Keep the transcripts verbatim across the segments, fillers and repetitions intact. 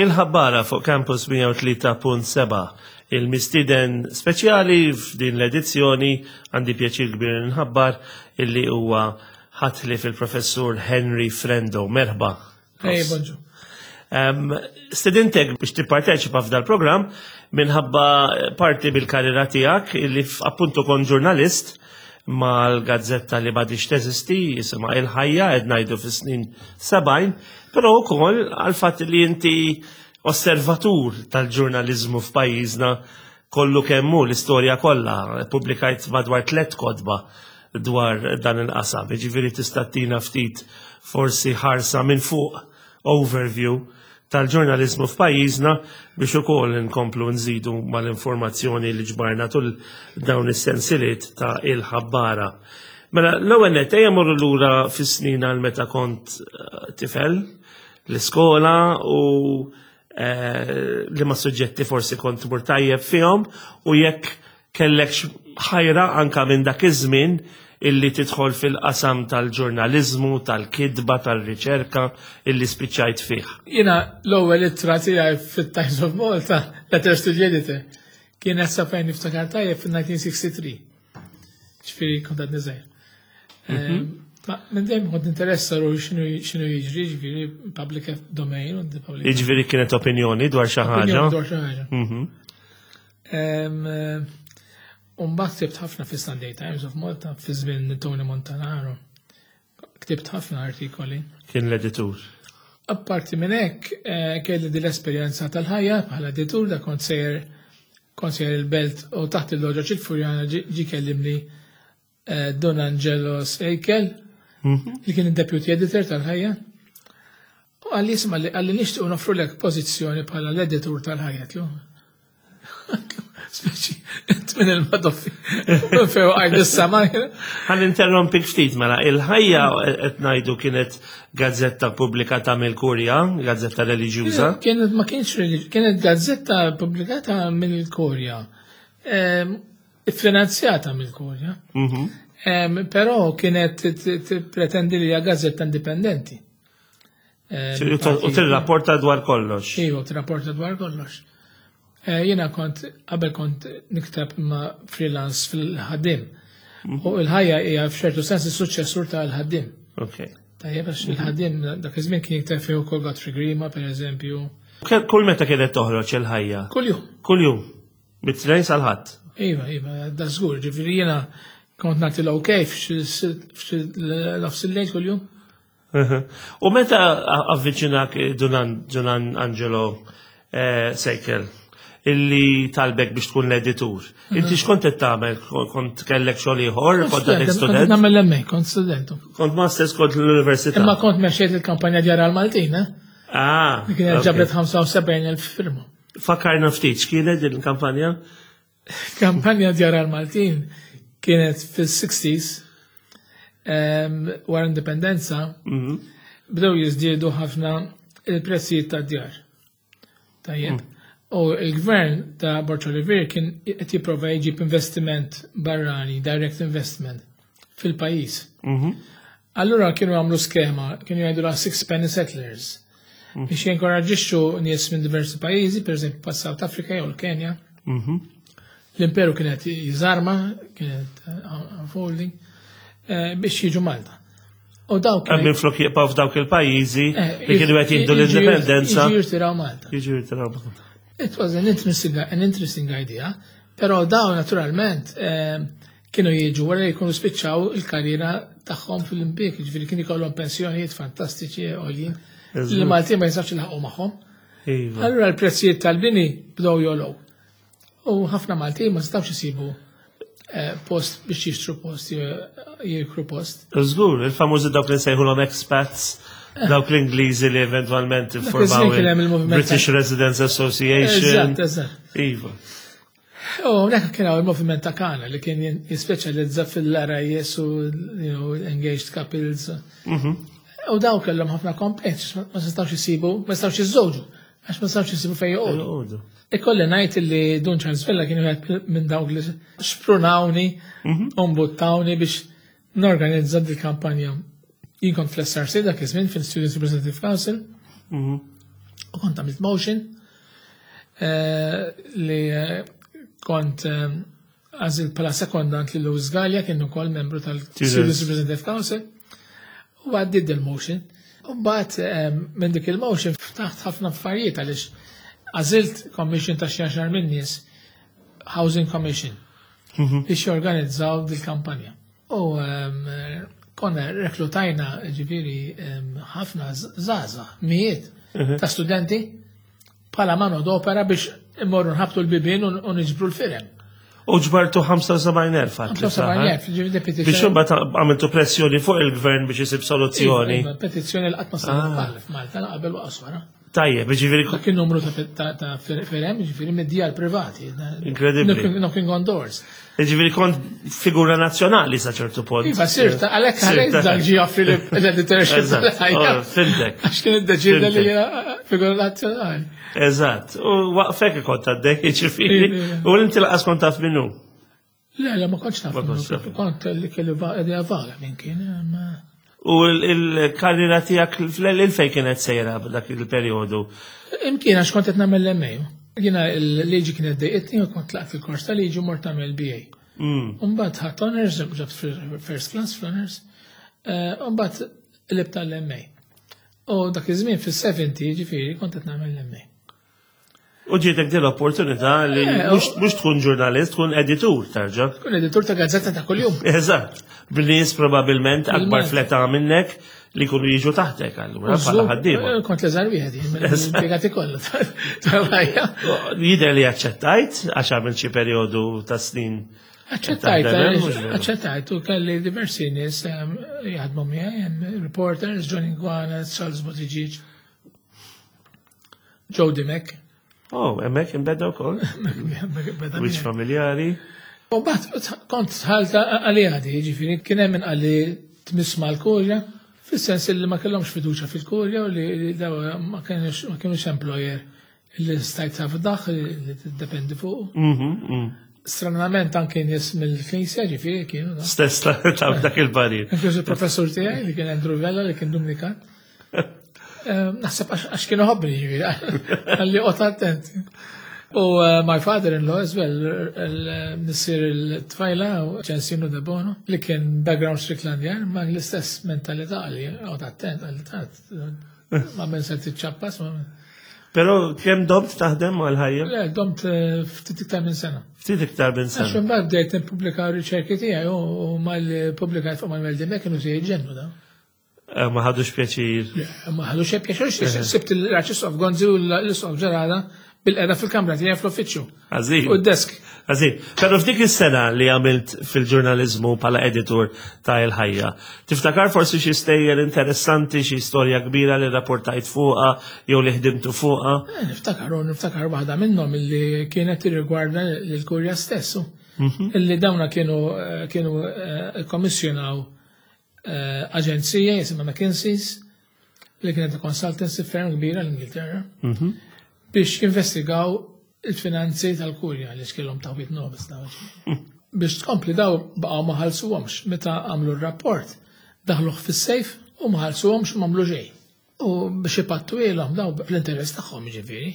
Il-Ħabbara fuq Campus mija u tlieta punt seba'. Il-mistieden speċjali f'din l-edizzjoni, għandi pjaċir kbir nħabbar illi huwa ħatli fil-professur Henry Frendo. Merħba. Hey, bonġu. Um, Stedintek biex tipparteċipa f'dal programm minħabba parti bil-karriera tiegħek illi appuntu kont ġurnalist mal-gazzetta li m'għadhiex teżisti, jisimha Il-Ħajja, qed ngħidu fis-snin sebgħin, però wkoll għal fatt li inti osservatur tal-ġurnalizmu f'pajjiżna kollu kemm hu, l-istorja kollha, pubblikajt madwar tliet kotba dwar dan il-qasam. Jiġifieri tista' ttina ftit forsi ħarsa minn fuq, overview tal-ġurnalizmu f'pajjiżna, biex ukoll nkomplu nżidu mal-informazzjoni li ġbarna tul dawn is-sensiliet ta' Il-Ħabbara. Mela, l-ewwel nett ejja morru lura fis-snin għal meta kont eh, tifel l-iskola u eh, li ma suġġetti forsi kont tmur tajjeb fihom u jekk kellek ħajra anka minn dak iż-żmien illi tidħol fil-qasam tal-ġurnalizmu, tal-kidba, tal-riċerka illi spiċċajt fih. Jiena l-ewwel ittra tiegħi fit-Times of Malta, Letters to the Editor, kienet, sa fejn niftakar tajjeb, fil-elf disa' mija u tlieta u sittin. Ġifieri kont għadni żgħir. Ma minn dejjem kont interessa ruħi x'inhu x'inhu jiġri, ġifieri public domain, u the public Jiġifieri kienet opinjoni dwar xi ħaġa. Opinjoni dwar xi ħaġa. Mhm. Em, eh, U mbagħad ktibt ħafna fi Sunday Times of Malta fi żmien Tony Montanaro. Ktibt ħafna artikoli. Kien l-editur. Apparti minn hekk, eh, kelli din l-esperjenza tal-Ħajja bħala editur, da kont sejjer kont sejjer il-Belt u taħt il-loġa ċil-Furjana ġi ġi kellimni eh, Don Angelo Seikel, li kien il-deputy editor tal-Ħajja. U qalli, "Isma'," li qalli, "nixtiequ noffrulek pożizzjoni bħala l-editur tal-Ħajja." Għedtlu, "Speċi, int minn il-madoffi. Minn fejn għajt is-sama." Ħa ninterrompik ftit mela, Il-Ħajja qed ngħidu kienet gazzetta pubblikata mill-Kurja, gazzetta reliġjuża. Kienet, ma kienx religi- kienet gazzetta pubblikata mill-Kurja. Ehm, Finanzjata mill-Kurja. Mhm. Ehm, Però kienet t- t- pretendi li hija gazzetta indipendenti. Ehm, U tirrapporta dwar kollox. Iva, tirrapporta dwar kollox. Eh, Jiena kont, qabel kont nikteb ma' freelance fil-Ħaddiem. U Il-Ħajja hija f'ċertu sens is-suċċessur tal-Ħaddiem. Ok. Tajjeb, għax Il-Ħaddiem dak iż-żmien kien jikteb fih ukoll Godfrey Grima, per eżempju. Ke- Kull meta kienet toħroġ Il-Ħajja? Kull jum. Kull jum. Mit-Tnejn sal-Ħadd. Iva, iva, da żgur, ġifieri jiena kont nagħti l-ok f'xi nofs il-lejl kull-jum. U meta avviċinak Dun Dun Angelo eh, Seikel illi talbek biex tkun l-editur? Inti x'kont qed tagħmel? Kont kellek xogħol ieħor? Kont għadek Kont student? nagħmel l-M A, kont student. Kont masters, kont l-università. Imma kont mexxejt il-kampanja Djar għal-Maltin, eh? Ah, Li kienet ok. ġabret ħamsa u sebgħin elf firma. Fakkarna ftit, x'kienet din il-kampanja? Kampanja Djar għal-Maltin kienet fis-sixties, em, wara indipendenza, Mhm. bdew jiżdiedu ħafna il-prezzijiet tad-djar. Tajjeb. U il-gvern ta' Borg Olivier kien qed jipprova jġib investiment barrani, direct investment, fil-pajjiż. Mhm. Allura kienu għamlu skema, kienu jgħidu la Six Penny Settlers, biex jinkoraġixxu nies minn diversi pajjiżi, per eżempju pa South Africa jew l-Kenja. Mhm. L-imperu kienet jiżarma, kienet uh, unfolding, eh, biex jiġu Malta. U daw Minn kienu flok jibqgħu f'dawk il-pajjiżi eh, li kienu qed jieħdu jiġu- l-indipendenza. Jiġu jirtiraw Malta. Jiġu jirtiraw Malta. It was an interesting, an interesting idea, però daw naturalment eh, kienu jiġu wara li jkunu spiċċaw il-karriera tagħhom fil-impjieg, ġifieri kienu jkollhom pensjonijiet fantastiċi għoljin li Maltin ma jistax jilħaqu magħhom. Iva. Allura l-prezzijiet tal-bini bdew jogħlew. U ħafna Maltin ma setgħux isibu eh, post biex jixtru post, je- jikru post. Żgur, il-famużi dawk li nsejħulhom expats, dawk l-Ingliżi li eventwalment iż-żmien iffurmaw kien hemm il-moviment British Residents Association. Eżatt, eżatt. Iva. U dak kien hawn il-moviment ta' Kana li kien jispeċjalizza fil-R I S u you know, engaged couples. Mhm. U daw kellhom ħafna complaints, ma setgħux isibu, ma setgħux jiżżewġu, għax ma setgħux isibu fejn joqogħdu. Joqogħdu. Ikolli ngħid li Dun Charles Vella kien wieħed minn dawk li xprunawni, u mbuttawni biex norganizza dil kampanja. Jien kont fl-S R C dak iż-żmien, fil-Students Representative Council, Mhm. U kont għamilt motion eh, li eh, kont eh, għażilt bħala sekondant li Louis Gallia, kien ukoll membru tal-Students Representative Council, u għaddid il-motion. U mbagħad eh, minn dik il-motion ftaħt ħafna affarijiet għaliex għażilt commission ta' xi għaxar minn nies, Housing Commission, biex jorganizzaw dil-kampanja. U em, konna reklutajna, ġifieri, em, ħafna żgħażagħ, mijiet ta' studenti bħala mano d'opera biex immorru nħabtu l-bibien u u niġbru l-firem. U ġbartu ħamsa u sebgħin elf għat li fl-aħħar. ħamsa u sebgħin elf, ġifieri Biex petizzjoni. imbagħad għamiltu pressjoni fuq il-gvern biex isib soluzzjoni. Iva, petizzjoni li qatt ma saret bħal f'Malta, la qabel u wara. Tajjeb, ġifieri Dak il-numru ta' ta' ta' firem, ġifieri mid-djar privati. Incredibbli. Knocking- Knocking on doors. Ġifieri kont figura nazzjonali sa ċertu punt. Iva, sirta, għalhekk għalhekk dak ġie joffri l-editorship Eżatt, tal-ħajja. oh, fhimtek. Għax kien iddeċida li Fhimtek. jiena figura nazzjonali. Eżatt. U waqfek kont għaddej, ġifieri. Iva. U inti lanqas kont taf minnu. Le, le, ma kontx naf. Ma kontx taf. Kont li kelli va- idea vaga minn kien. ma- U l-karriera tiegħek fl-fej kienet sejra dak il-perjodu? Imkien għax kont qed nagħmel l-M A. Jiena l-liġi kienet dejqitni u kont tlaqt il-kors ta' liġi u mort nagħmel B A. Mm. Umbagħad ħadt honors, ġabt first class fl-honors, umbagħad qlibt tal-M A. U dak iż-żmien fis-sebgħin, ġifieri, kont qed nagħmel l-M A. U ġietek din l-opportunità li Eh, mhux mhux tkun ġurnalist, tkun editur tarġa. Tkun editur ta' gazzetta ta' kuljum. Eżatt. B'nies probabilment akbar Bil-Malti. fl-età minnek li kunu jiġu taħtek allura bħala ħaddiema. Eh, Kont l-iżgħar wieħed jien mill-impjegati kollha tal-ħajja. Jidher li aċċettajt għax għamil xi perjodu ta' snin. Aċċettajt, Taħdem, mhux veru? aċċettajt u kelli diversi nies em, jaħdmu miegħi, hemm reporters, Johnny Gwanet, Charles Buttigieg, Joe Dimek. Oh, hemmhekk inbeda wkoll. Beda Wiċċ miegħi. familjari. U mbagħad kont dħalt għalija di, ġifieri kien hemm min qalli tmiss mal-kurja, fis-sens li ma kellhomx fiduċja fil-kurja u li li daw ma kienux ma kienux employer li stajt tafdah li tiddependi fuq. Mhm, mhm. Stranament anke nies mill-Knisja, ġifieri, kienu da. Stess ta' ta' dak il-parir. Inkluż il-professur tiegħi li kien Andrew Vella li kien Dominikan. Eh, Naħseb għax għax kienu ħobbni, ġifieri, qalli oqgħod attent. U eh, my father-in-law as well, il-missier il-tfajla, Ċensinu De Bono, li kien background Stricklandian, ma l-istess mentalità, li oqgħod attent, qalli tat, ma minn se tiċċappas, ma Però kemm domt taħdem mal-Ħajja? Le, domt eh, ftit iktar minn sena. Ftit iktar minn Għax sena. imbagħad bdejt nippubblika r-riċerki tiegħi u u mal-pubblikajt fuq Manuel Dimech kienu se jiġġennu da. Eh, Ma ħadux pjaċir. Le, ma ħadu xejn pjaċir, sibt l-Arċisqof Gonzi u l-Isqof Ġerada bilqiegħda fil-kamra tiegħi fl-uffiċċju. Għażin. U d-desk. Għażin. Però f'dik is-sena li għamilt fil-ġurnalizmu bħala editur ta' Il-Ħajja, tiftakar forsi xi stejjer interessanti, xi storja kbira li rapportajt fuqha jew li ħdimtu fuqha? Eh, Niftakar, u niftakar waħda minnhom illi kienet tirrigwarda l-kurja stessu. Illi dawna kienu eh, kienu eh, kommissjonaw eh, aġenzija jisimha McKinsey's, li kienet consultancy firm kbira l-Ingilterra, biex jinvestigaw il-finanzi tal-kurja li xkellhom taħwit nobis daw. Biex tkompli, daw baqgħu ma ħallsuhomx meta għamlu r-rapport, daħluh fis-sejf u ma ħallsuhomx u m'għamlu xejn. U biex ipattu ilhom daw l-interess tagħhom, ġifieri,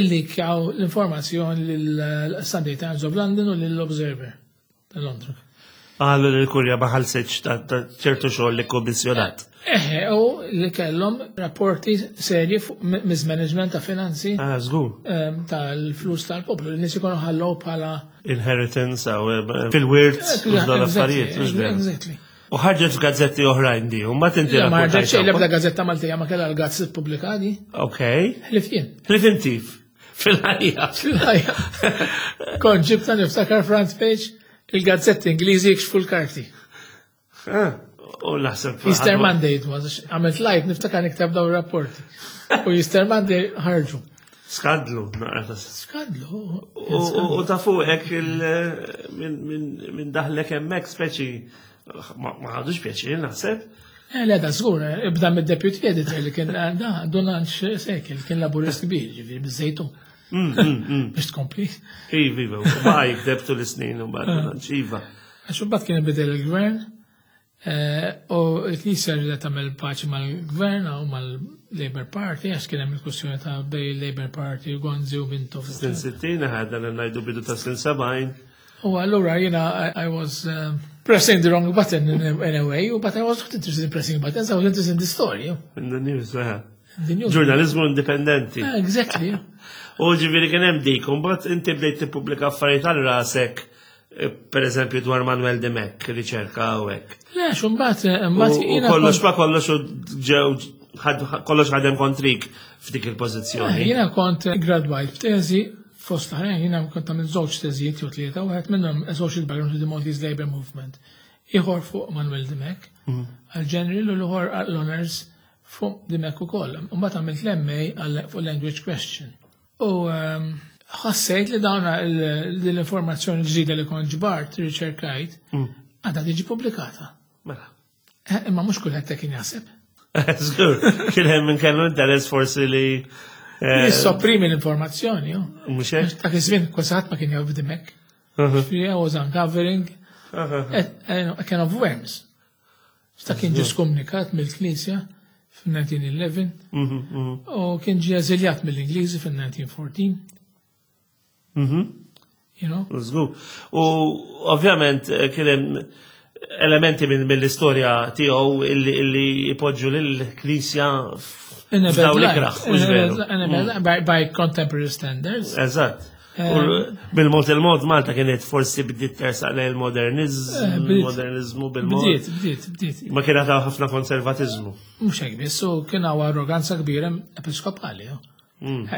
illi kjaw l-informazzjoni lill-Sunday Times of London u lill-Observer ta' Londra. Qalu li l-kurja ma ħallsitx ta' ta' ċertu xogħol li kommissjonat. Eħe, u li kellhom rapporti serji fuq mismanagement ta' finanzi Ah, żgur. em, tal-flus tal-poplu. Li nies ikunu ħallew bħala Inheritance aw eh, fil-wirt u dawn l-affarijiet, mhux veru? Exactly. U ħarġet f'gazzetti oħrajn di, u mbagħad inti Le, ma ħarġet xejn, rapportajt. l-ebda gazzetta Maltija ma kellha l-guts ippubblikati. Ok. Ħlief jien. Ħlief inti fil-Ħajja. Fil-Ħajja. Kont ġibta, niftakar, front page, "Il-gazzetti Ingliżi jikxfu l-karti." Ah, u naħseb. Easter Monday it was, għamilt live, niftakar nikteb daw rapporti. U Easter Monday ħarġu. Skandlu, naqra ta' Skandlu. U u- u ta' fuqek il- minn min, min daħlek hemmhekk speċi ma ma ħadux pjaċir, naħseb. Eh, le, da żgur, eh, ibda mid-deputy editor li kien eh, da Donald Sekel, kien laburist kbir, ġifieri biżejtu. Mm, mm, mm. Biex tkompli. Iva, iva, u baqa jikteb tul is-snin u mbagħad iva. Għax imbagħad kien ibidel il-gvern eh, u l-Knisja rridet tagħmel paċi mal-gvern u mal Labour Party, għax kien hemm il-kwestjoni ta' bejn Labour Party u Gonzi u Mintoff. Snin sittin, ħadna ngħidu bidu ta' snin sebgħin. U allura jiena I, I was um, pressing the wrong button in a, in a way, but I was not interested in pressing buttons, I was interested in the story. In the news, eh. The news. Ġurnalizmu indipendenti. Ah, exactly. yeah. U ġifieri kien hemm dik, u mbagħad inti bdejt tippubblika affarijiet għal rasek, eh, per eżempju dwar Manuel Dimech, riċerka u hekk. Le, xumbat, U mbagħad u jiena kollox kont- ma kollox u ġew ħad- kollox ħadem kontrik f'dik il-pożizzjoni. Eh, Jiena kont gradwajt b'teżi fost l-oħrajn, jiena kont għamilt żewġ teżijiet jew tlieta, wieħed minnhom a social background to the Maltese Labour Movement. Ieħor fuq Manuel Dimech, għal General u l-ieħor għal Honors fuq Dimech ukoll. Mbagħad għamilt l-MA għal fuq Language Question. U ehm, ħassejt li dawn l-informazzjoni ġdida li kont ġbart, riċerkajt, għadha tiġi pubblikata. Mela. Eh, Imma mhux kulħadd hekk kien jaħseb. Żgur, kien hemm min kellu interess forsi li eh, Jissopprimi l-informazzjoni, jo. mhux hekk? Dak iż-żmien kważi ma kien jaf Dimech. Ġifieri I was uncovering a, a, a can of worms. Sta kien ġie skomunikat mill-Knisja fil-elf disa' mija u ħdax u kien ġie eżiljat mill-Ingliżi fil-elf disa' mija u erbatax. You know? Żgur. U ovvjament eh, kien hemm elementi minn mill-istorja tiegħu illi illi ipoġġu lill-Knisja In a bad f'dawn light. l-ikraħ, mhux In a veru. bad- in a bad light, By, by contemporary standards. Eżatt. U bil-mod il-mod Malta kienet forsi bdiet tersaq lejn il-modernizmu, Eh, bdiet. modernizmu bil-mod. Bdiet, bdiet, bdiet. Ma kien għadha ħafna konservatizmu. Mhux hekk biss, u kien hawn arroganza kbira episkopali. jo.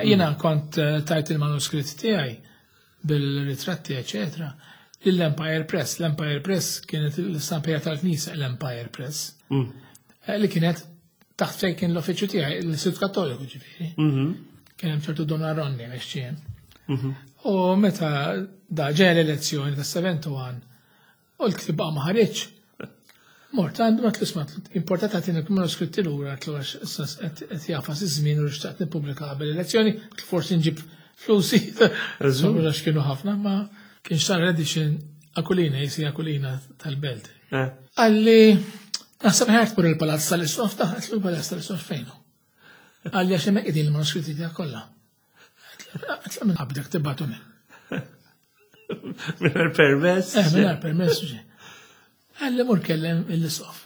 Jiena kont eh, tajt il-manuskritt tiegħi bil-ritratti, eċetera, lill-Empire Press. L-Empire Press kienet l-istampija tal-Knisja, l-Empire Press, Eh, li kienet taħt fejn kien l-uffiċċju tiegħi, l-Istitut Kattoliku ġifieri. Kien hemm ċertu Don Aronni għax ċien. U meta da ġeja l-elezzjoni ta' sebgħa u sebgħin u l-ktib baqa' ma ħareġ. Mort għandu ma tlisma importat għatin il-manuskritti lura għatlu għax issa qed jafas iż-żmien u xtaqt nippubblika qabel l-elezzjoni, forsi nġib flusi. Għax kienu ħafna, ma kien xtara l-edition Aquilina, jisi Aquilina tal-Belt. Eh. Qalli, naħseb ħert pur il-palazz tal-Isqof, ta' għatlu il-palazz tal-Isqof fejnu. Qalli għax hemmhekk qegħdin il-manuskritti tiegħek kollha. Għatlu minn qabdek tibgħatu minn. Mingħajr permess. Eh, minn permess ġi. Qalli mur kellem l-Isqof.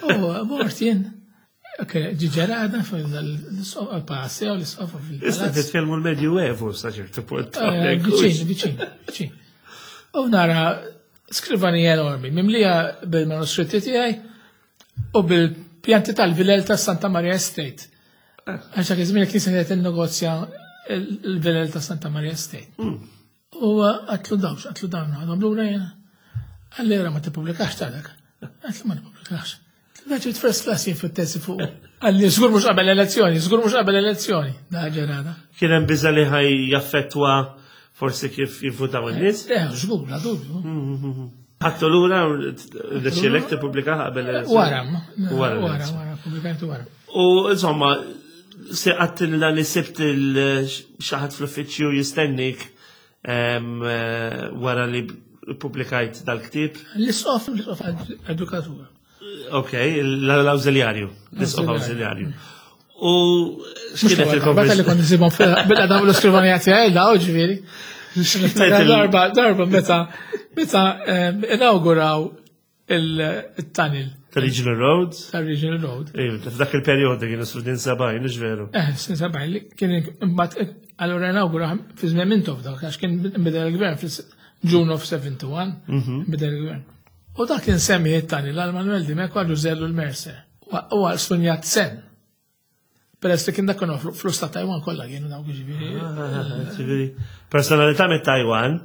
U mort jien, ok, ġiġerada fil-Isqof, għal-palazz u l-Isqof Issa fil-palazz. titkellmu l-Medjuevu sa ċertu punt. Eh, Viċin, viċin, viċin. U nara skrivanija enormi, mimlija bil-manuskritti tiegħi u bil-pjanti tal-vilel ta' Santa Maria Estate. Għax dak iż-żmien il-Knisja kienet innegozja il-vilel ta' Santa Maria Estate. U għatlu dawx, għatlu dawn, għadhom lura jena. Qalli ma tippubblikax ta' dak. Għatlu ma tippubblikax. Da ġiet first class jien fit-tesi fuq. Qalli żgur mhux qabel elezzjoni, żgur mhux qabel elezzjoni. Da ġerada. Kien hemm biża li ħaj jaffettwa forsi kif jivvutaw in-nies. Eh, żgur, bla dubju. Ħadtu lura deċilek tippubblika qabel l-elezzjoni. Wara, Wara wara, l-elezzjoni. wara, pubblikajtu wara. U insomma, se għattilna li sibt il-xaħat fl-uffiċċju jistennik em, eh, wara li pubblikajt dal-ktib. L-isqof, l-isqof edukatur. Ok, l-awżiljarju, l-isqof awżiljarju. U x'kienet Meta li il-konversazzjoni? kont nsibhom bil-qadam l-iskrivanija tiegħi daw ġifieri. Darba, darba meta meta em, inauguraw il-tunnel Tal-Regional Road? tal-Regional Road. Ejju, f'dak il-perjodu kienu snin sebgħin, mhux veru. Eh, snin sebgħin li kien imbagħad allura inaugura fi żmien Mintoff dak għax kien bidel il-gvern fil-June of seventy-one bidel il-gvern. U dak kien semmi it-tunnel għal Manuel Dimech għal Ġużè Ellul Mercer. U għal Sun Yat-sen. Peress li kien dak kienu flus ta' Taiwan kollha kienu dawk ġifieri. Ġifieri, personalità mit Taiwan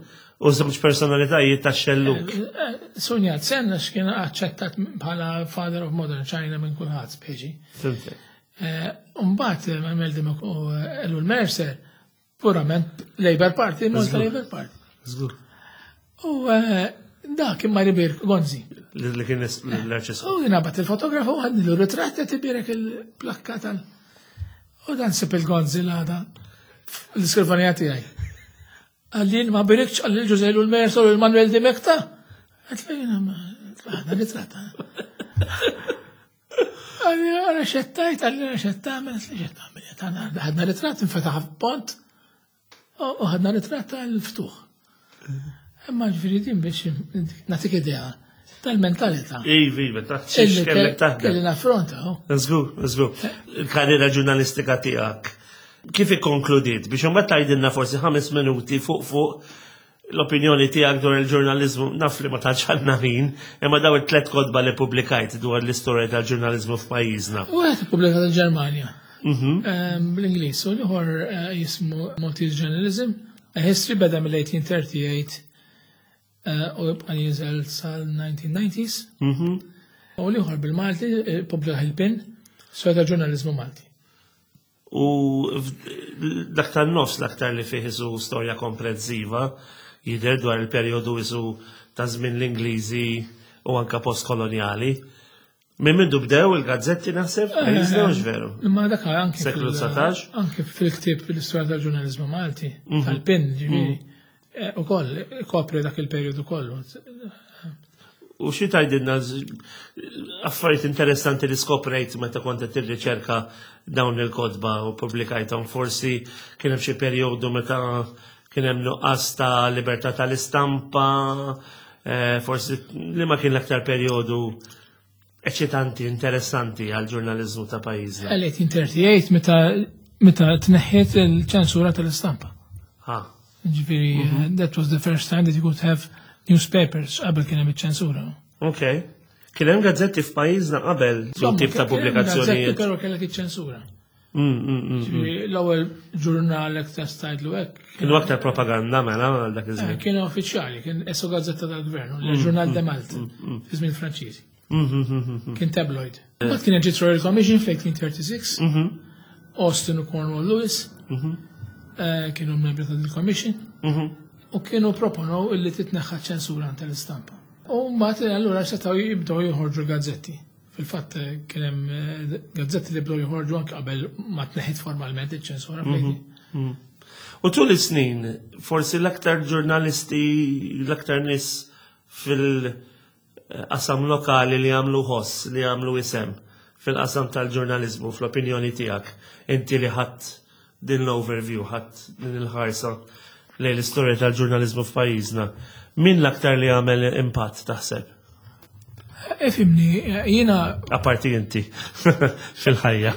u żewġ personalitajiet ta' xelluk. Sun Yat-sen għax kien aċċettat bħala Father of Modern China minn kulħadd speċi. Fimtek. Umbagħad Manuel Dimech u Ellul Mercer purament Labour Party, Malta Labour Party. Żgur. U eh, dak kien mar ibierek Gonzi. Li li kien l-arċisqof. U jien bat il-fotografu għadni l ritratt qed ibierek il-plakka tal. U dan sib il-Gonzi l-għada l-iskrivanija tiegħi. Qalli ma berikx qalli l-Ġużè Ellul Mercer u l-Manuel Dimech ta. Għatlu jiena ma għadna ritratt. Qalli, "Ara x'għedt," qalli, "ara x'qed tagħmel," x'qed tagħmel. Ħadna ritratt, infetaħ pont, u ħadna ritratt tal-ftuħ. Imma ġifieri din biex nagħtik idea tal-mentalità. Iva, iva, taħt kellek taħdem. Kelli naffronta. Żgur, żgur. Il-karriera ġurnalistika tiegħek kif ikkonkludiet biex imbagħad tgħidilna forsi ħames minuti fuq fuq l-opinjoni tiegħek dwar il-ġurnaliżmu, naf li ma tantx għandna ħin, imma daw it-tlet kotba li pubblikajt dwar l-istorja tal-ġurnaliżmu f'pajjiżna. U għed ippubblikat il-Ġermanja. Mhm. Bl-Ingliż, u l-ieħor eh, jismu Maltese Journalism, A History, beda mill-eighteen thirty-eight eh, u jibqa' jinżel sal-nineteen nineties. Mhm. U l-ieħor bil-Malti, eh, pubblika il-PIN, Storja tal-ġurnaliżmu Malti. U dak tan-nofs l-aktar li fih isu storja komprensiva jidher dwar il-perjodu isu ta' żmien l-Ingliżi u anka postkoloniali. Minn mindu bdew il-gazzetti, naħseb, pajjiżna, mhux veru? Imma dak anke Seklu fil- dsatax? Anke fil-ktieb l-istorja tal-ġurnaliżmu Malti, tal-PIN, ġifieri, eh, ukoll kopri dak il-perjodu kollu. U xi tgħidilna z- affarijiet interessanti li skoprejt meta kont qed tirriċerka dawn il-kotba u pubblikajthom? Forsi kien hemm xi perjodu meta kien hemm nuqqas ta' libertà tal-istampa, eh, forsi li ma kien l-aktar perjodu eċitanti, interessanti għal ġurnaliżmu ta' pajjiżna? eighteen thirty-eight, meta meta tneħħiet il-ċensura tal-istampa. Ha. Ġifieri, eh, that was the first time that you could have newspapers. Qabel kien hemm iċ-ċensura. Ok. Kien hemm gazzetti f'pajjiżna qabel, su tip ta' Gazzetti, pubblikazzjonijiet? però kellek iċ-ċensura. Mm, mm, mm. Ġifieri, l-ewwel ġurnal hekk tista' tgħidlu hekk. Kienu aktar propaganda mela għal dak eh, iż-żmien. Kienu uffiċjali, kien esu gazzetta tal-gvern, il-Journal de Malte, fi żmien Franċiżi. Kien tabloid. Mbagħad kien ġiet Royal Commission fl-eighteen thirty-six, Austin u Cornwall Lewis, eh, kienu membri ta' il-Commission, u kienu proponow illi titneħħa ċensura tal-istampa. U mbagħad allura setgħu jibdew joħorġu l-gazzetti. Fil-fatt eh, kien hemm eh, gazzetti li bdew joħorġu anke qabel ma tneħħit formalment iċ-ċensura. U tul is-snin, forsi l-aktar ġurnalisti, l-aktar nies fil-qasam lokali li għamlu ħoss, li għamlu isem fil-qasam tal-ġurnalizmu, fl-opinjoni tiegħek, inti li ħadd din l-overview, ħadd din il-ħarsa lejn l-istorja tal-ġurnalizmu f'pajjiżna, min l-aktar li għamel impatt, taħseb? Ifhimni, jiena Aparti inti fil-ħajja.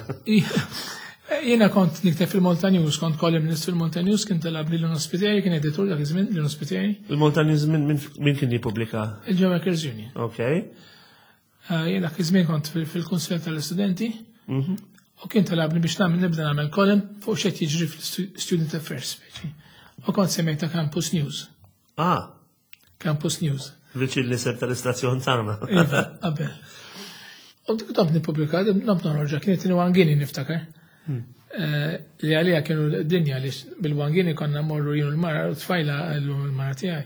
Jiena kont nikteb fil-Malta News, kont columnist fil-Malta News, kien talabni Lino Spiteri, kien editur dak iż-żmien, Lino Spiteri, Il-Malta News min, min, min kien jippubblika? Il-General Workers Union. Ok. Eh, Jien dak iż-żmien kont fil- fil-Kunsill tal-Istudenti u kien talabni biex nagħmel nibda nagħmel column fuq x'qed jiġri fil-Student Affairs, speċi. U kont semmejta Campus News. Ah, Campus News. Viċin l-isem tal-istazzjon tagħna. Iva, qabel. U dik domt nippubblika, domt noħroġha, kienet one guinea, niftakar. Eh, Li għalija kienu dinja li bil-one guinea konna morru jien u l-mara, u tfajla l mara tiegħi.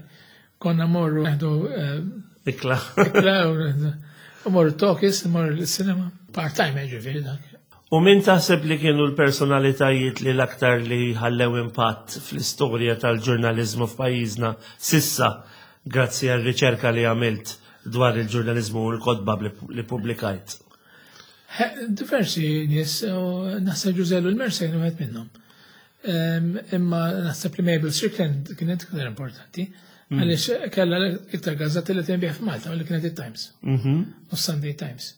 Konna morru neħdu eh, Ikla. ikla u u morru talkies, morru l-cinema. Part-time, ġifieri dak. U min taħseb li kienu l-personalitajiet li l-aktar li ħallew impatt fl-istorja tal-ġurnalizmu f'pajjiżna sissa, grazzi għal riċerka li għamilt dwar il-ġurnalizmu u l-kotba li li pubblikajt? He- Diversi nies, u naħseb Ġużè Ellul Mercer kien wieħed minnhom. Em, Imma naħseb li Mabel Strickland kienet iktar importanti, għaliex kellha iktar gazzetti li tinbiegħ f'Malta, u li kienet it-Times u Sunday Times.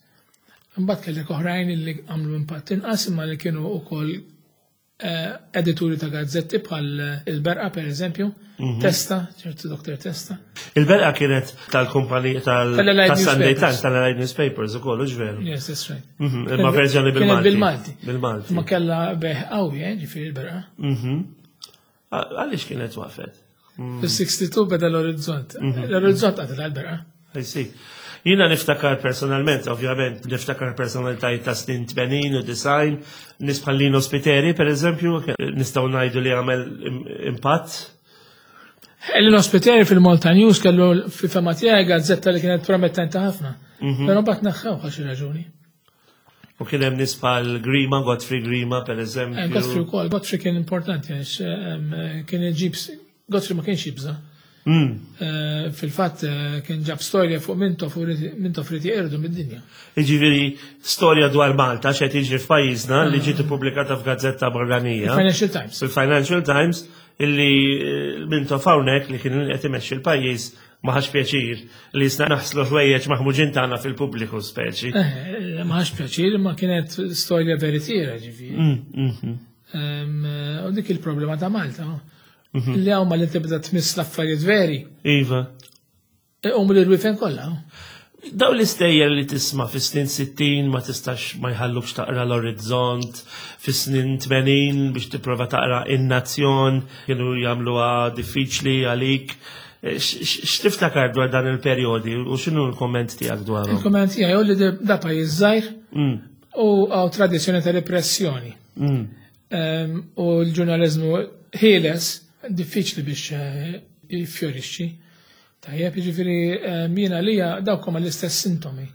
Imbagħad kellek oħrajn li għamlu impatt inqas imma li kienu wkoll eh, edituri ta' gazzetti bħal il-Berqa, per eżempju, Testa, ċertu Doktor Testa. Il-Berqa kienet tal-kumpanija tal- Tal-Allied tal-Sunday Newspapers. Times, tal-Allied Newspapers ukoll, hux veru? Yes, that's right. Mhm, Imma verżjoni Kienet bil-Malti. bil-Malti. Bil-Malti. Ma kellha bejgħ qawwi, eh, ġifieri il-Berqa. Mhm. Għaliex kienet waqfet? Fis-sixty-two beda l-Orizzont. L-Orizzont qatel għal-Berqa. I see. Jiena niftakar personalment, ovvjament, niftakar personalitajiet ta' snin tmenin u disgħin, nies bħal Lino Spiteri, per eżempju, nistgħu ngħidu li għamel im- impatt. Lino Spiteri fil-Malta News kellu fil-fehma tiegħi gazzetta li kienet promettenti ħafna. Però mbagħad neħħew għal xi raġuni. U kien hemm nies bħal Grima, Godfrey Grima, per Eh, eżempju. Godfrey wkoll, Godfrey kien importanti għax em, kien iġib, Godfrey ma kienx jibża. Mm. Eh, Fil-fatt eh, kien ġab storja fuq Mintoff u ried- Mintoff ried jeqirdu mid-dinja. Jiġifieri storja dwar Malta x'qed jiġri f'pajjiżna li ġiet ippubblikata f'gazzetta barranija. Financial Times. Fil-Financial Times illi eh, Mintoff hawnhekk li kien qed imexxi l-pajjiż ma ħax pjaċir li jisna naħslu ħwejjeġ maħmuġin tagħna fil-pubbliku speċi. Eh, Ma ħax pjaċir, ma kienet storja veritiera ġifieri. Mm, mhm. Em, eh, U dik il-problema ta' Malta. no? Li hawn ma li tibda tmiss l-affarijiet veri. Iva. U mill-irwifen kollha. no? Daw l-istejjer li tisma' fis-snin sittin ma tistax ma jħallukx taqra l-Orizzont, fis-snin tmenin biex tipprova taqra In-Nazzjon, kienu jagħmluha diffiċli għalik. Eh, x- x- X'tiftakar dwar dan il-perjodi u x'inhu l-komment tiegħek dwarhom? Il-komment tiegħi hu li da pajjiż żgħir Mm, u hawn tradizzjoni ta' repressjoni. mm, Em, U l-ġurnalizmu ħieles diffiċli biex eh, jiffjorixxi. Tajjeb, jiġifieri em, jiena lija dawk huma l-istess sintomi.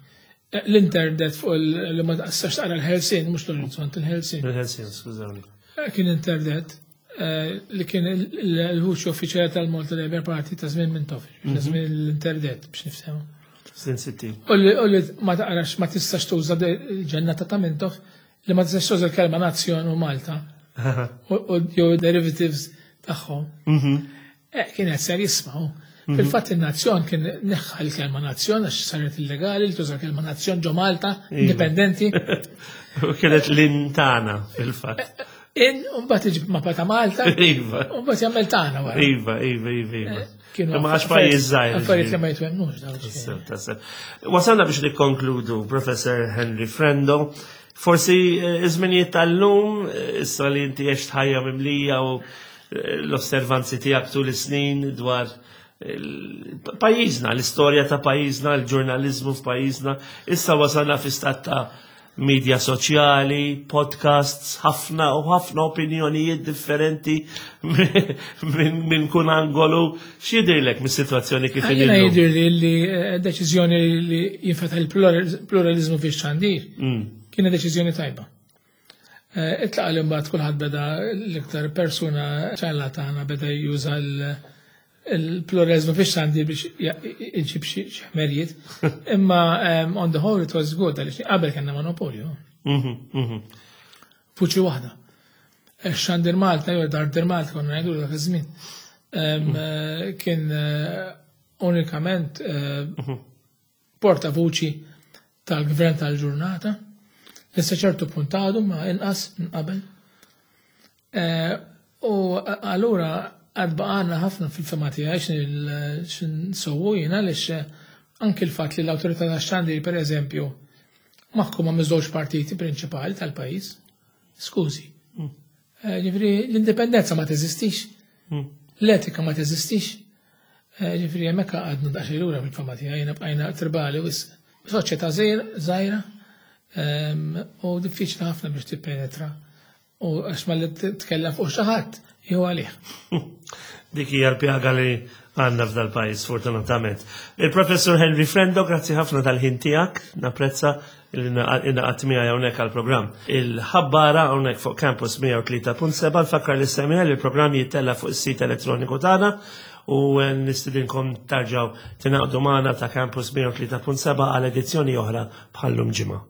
Eh, L-internet fuq il- li ma tistax taqra l-Ħelsien, mhux l-Orizzont, il-Ħelsien. Il-Ħelsien, skużawni. Eh, Kien internet eh, li kien il- il- il-vuċi uffiċjali tal-Malta Labour Party ta' żmien Mintoff, ta' żmien l-internet biex niftehmu. Snin sittin. U li u li ma taqrax ma tistax tuża de- il-ġennata ta' Mintoff li ma tistax tuża l-kelma nazzjon u Malta u u jew derivatives tagħhom. Mhm. Eh, kienet ser jismaw. Fil-fatt il-nazzjon kien neħħa l-kelma nazzjon għax saret illegali li tuża kelma nazzjon ġo Malta, indipendenti. U kienet l-intana fil-fatt. In, u mbagħad iġib mappa ta' Malta, Iva. u mbagħad jagħmel tagħna wara. Iva, iva, iva, iva. Kienu Imma għax pajjiż żgħir. Affarijiet li ma jitwemmnux dawn. Tassew, tassew. Wasalna biex nikkonkludu, Professor Henry Frendo. Forsi eh, iż-żminijiet tal-lum, eh, issa li inti għext ħajja mimlija u eh, l-osservanzi tiegħek tul is-snin dwar il- pajjiżna, l-istorja ta' pajjiżna, l-ġurnalizmu f'pajjiżna, issa wasalna fi stat ta' media soċjali, podcasts, ħafna u ħafna opinjonijiet differenti minn min kun angolu. X'jidhirlek mis-sitwazzjoni kif Jiena inhi llum? jidir li li eh, deċiżjoni li jinfetaħ il-pluralizmu fi xandir Mm. kienet deċiżjoni tajba. Eh, Itlaqa li mbagħad kulħadd beda l-iktar persuna ċalla tagħna beda juża l- il-pluralizmu fi xandir biex ja- iġib xi xi ħmerijiet. Imma em, on the whole it was good għaliex qabel kellna monopolju. Mhm, mhm. Vuċi waħda. Xandir Malta, jew Dardir Malta, konna ngħidu dak iż-żmien. Em, eh, Kien eh, unikament eh, portavuċi tal-gvern tal-ġurnata. Issa ċertu punt għadu ma inqas minn qabel. Eh, U allura għad baqgħalna ħafna fil-fehma tiegħi x'nsewwu jiena għaliex eh, anki l-fatt li l-awtorità tax-xandir per eżempju maħkuma miż-żewġ partiti prinċipali tal-pajjiż. Skużi. Eh, Ġifieri l-indipendenza ma teżistix, Mm. l-etika ma teżistix. Eh, Ġifieri hemmhekk għadna daqsxejn lura fil-fehma tiegħi jiena bqajna tribali wisq. Soċjetà żgħira ehm, u diffiċli ħafna biex tippenetra. U għax ma li titkellem fuq xi ħadd jew għalih. Dik hija l-pjaga li għandna f'dal pajjiż fortunatament. Il-Professor Henry Frendo, grazzi ħafna tal-ħin tiegħek, napprezza li ingħaqadt miegħi hawnhekk għall-programm. Il-ħabbara hawnhekk fuq Campus mija u tlieta punt seba' nfakkar li semmiha li l-programm jittella fuq is-sit elettroniku tagħna u nistidinkom terġgħu tingħaqdu magħna ta' Campus mija u tlieta punt seba għal edizzjoni oħra bħallum ġimgħa.